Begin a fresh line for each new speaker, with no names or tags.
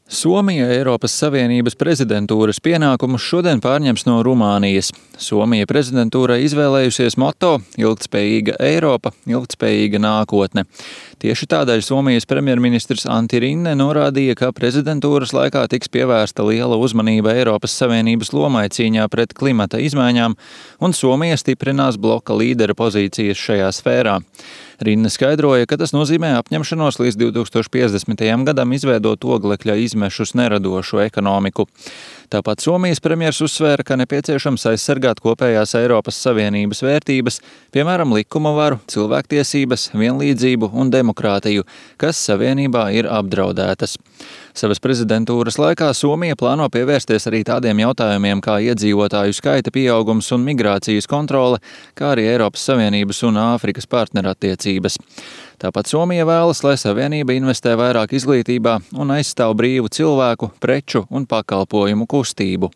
Somija Eiropas Savienības prezidentūras pienākumus šodien pārņems no Rumānijas. Somija prezidentūrai izvēlējusies moto "Ilgtspējīga Eiropa, ilgtspējīga nākotne". Tieši tādēļ Somijas premjerministrs Antti Rinne norādīja, ka prezidentūras laikā tiks pievērsta liela uzmanība Eiropas Savienības lomai cīņā pret klimata izmaiņām, un Somija stiprinās bloka līdera pozīcijas šajā sfērā. Rinne skaidroja, ka tas nozīmē apņemšanos līdz 2050. gadam izveidot oglekļa izmešus neradošu ekonomiku. Tāpat Somijas premjers uzsvēra, ka nepieciešams aizsargāt kopējās Eiropas Savienības vērtības, piemēram, likuma varu, cilvēktiesības, vienlīdzību un demokrātiju, kas Savienībā ir apdraudētas. Savas prezidentūras laikā Somija plāno pievērsties arī tādiem jautājumiem kā iedzīvotāju skaita pieaugums un migrācijas kontrole, kā arī Eiropas Savienības un Āfrikas partnerattiecības. Tāpat Somija vēlas, lai Savienība investē vairāk izglītībā un aizstāv brīvu cilvēku, preču un pakalpojumu kustību.